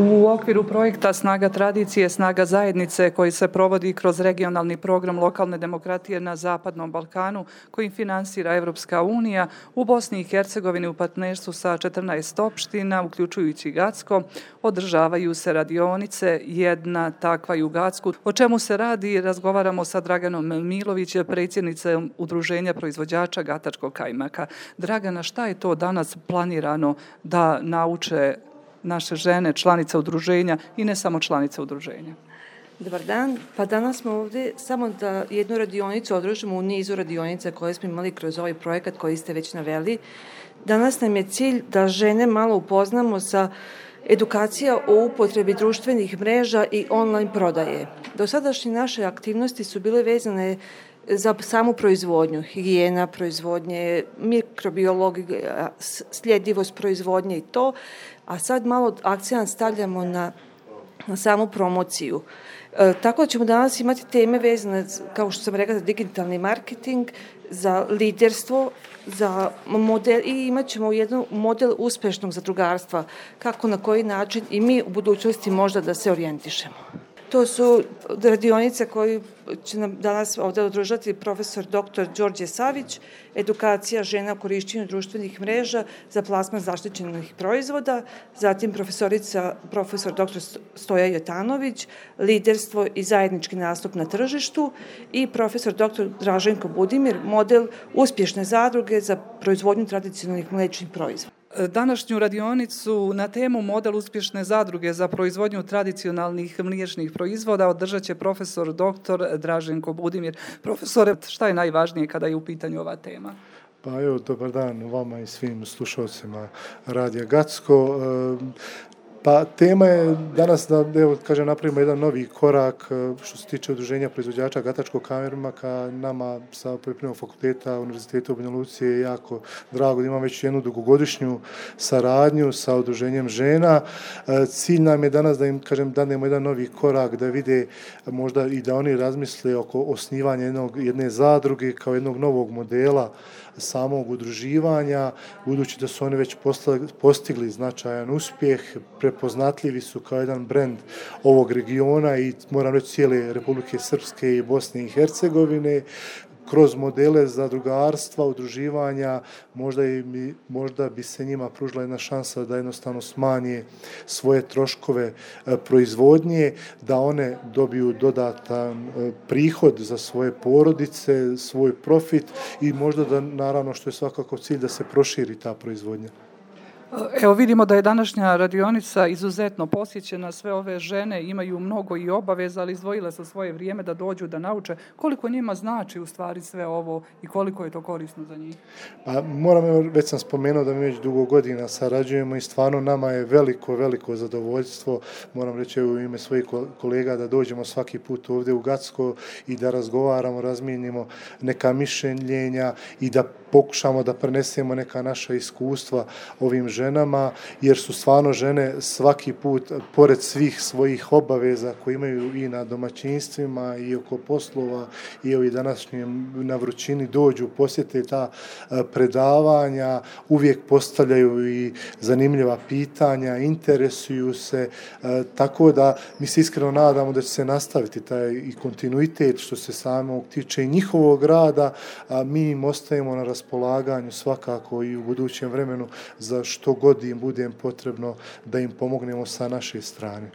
U okviru projekta Snaga tradicije, snaga zajednice koji se provodi kroz regionalni program lokalne demokratije na Zapadnom Balkanu koji finansira Evropska unija, u Bosni i Hercegovini u partnerstvu sa 14 opština, uključujući Gacko, održavaju se radionice, jedna takva i u Gacku. O čemu se radi, razgovaramo sa Draganom Milovićem, predsjednicom Udruženja proizvođača gatačkog kajmaka. Dragana, šta je to danas planirano da nauče naše žene, članice udruženja i ne samo članice udruženja? Dobar dan. Pa danas smo ovdje samo da jednu radionicu održimo u nizu radionica koje smo imali kroz ovaj projekat koji ste već naveli. Danas nam je cilj da žene malo upoznamo sa edukacija o upotrebi društvenih mreža i online prodaje. Dosadašnje naše aktivnosti su bile vezane za samu proizvodnju, higijena proizvodnje, mikrobiologija, sljedivost proizvodnje i to, a sad malo akcent stavljamo na samu promociju. Tako da ćemo danas imati teme vezane, kao što sam rekla, za digitalni marketing, za liderstvo, za model i imat ćemo jedan model uspešnog zadrugarstva, kako na koji način i mi u budućnosti možda da se orijentišemo. To su radionice koje će nam danas ovdje održati profesor dr. Đorđe Savić, edukacija žena u korišćenju društvenih mreža za plasman zaštićenih proizvoda, zatim profesor dr. Stoja Jotanović, liderstvo i zajednički nastup na tržištu i profesor dr. Draženko Budimir, model uspješne zadruge za proizvodnju tradicionalnih mlečnih proizvoda. Današnju radionicu na temu model uspješne zadruge za proizvodnju tradicionalnih mliječnih proizvoda održat će profesor dr. Draženko Budimir. Profesore, šta je najvažnije kada je u pitanju ova tema? Pa evo, dobar dan vama i svim slušalcima Radija Gacko. Pa tema je danas da napravimo jedan novi korak što se tiče udruženja proizvođača gatačkog kajmaka. Nama sa Poljoprivrednog fakulteta Univerziteta u Banja Luci je jako drago da imamo već jednu dugogodišnju saradnju sa udruženjem žena. Cilj nam je danas da im danemo jedan novi korak, da vide možda i da oni razmisle oko osnivanja jedne zadruge kao jednog novog modela samog udruživanja, budući da su oni već postigli značajan uspjeh, prepoznatljivi su kao jedan brend ovog regiona i moram reći cijele Republike Srpske i Bosne i Hercegovine. Kroz modele zadrugarstva, udruživanja, možda bi se njima pružila jedna šansa da jednostavno smanje svoje troškove proizvodnje, da one dobiju dodatan prihod za svoje porodice, svoj profit i možda da, naravno, što je svakako cilj, da se proširi ta proizvodnja. Evo vidimo da je današnja radionica izuzetno posjećena, sve ove žene imaju mnogo i obaveza, ali izdvojile su svoje vrijeme da dođu da nauče koliko njima znači u stvari sve ovo i koliko je to korisno za njih. Pa, već sam spomenuo da mi već dugo godina sarađujemo i stvarno nama je veliko zadovoljstvo, moram reći u ime svojih kolega, da dođemo svaki put ovdje u Gacko i da razgovaramo, razmijenimo neka mišljenja i da pokušamo da prenesemo neka naša iskustva ovim ženama, jer su stvarno žene svaki put, pored svih svojih obaveza koje imaju i na domaćinstvima i oko poslova i ovi današnjem na vrućini dođu, posjete ta predavanja, uvijek postavljaju i zanimljiva pitanja, interesuju se, tako da mi se iskreno nadamo da će se nastaviti taj i kontinuitet što se samog tiče i njihovog rada, a mi im ostajemo na raspolaganju svakako i u budućem vremenu za što god im bude potrebno da im pomognemo sa naše strane.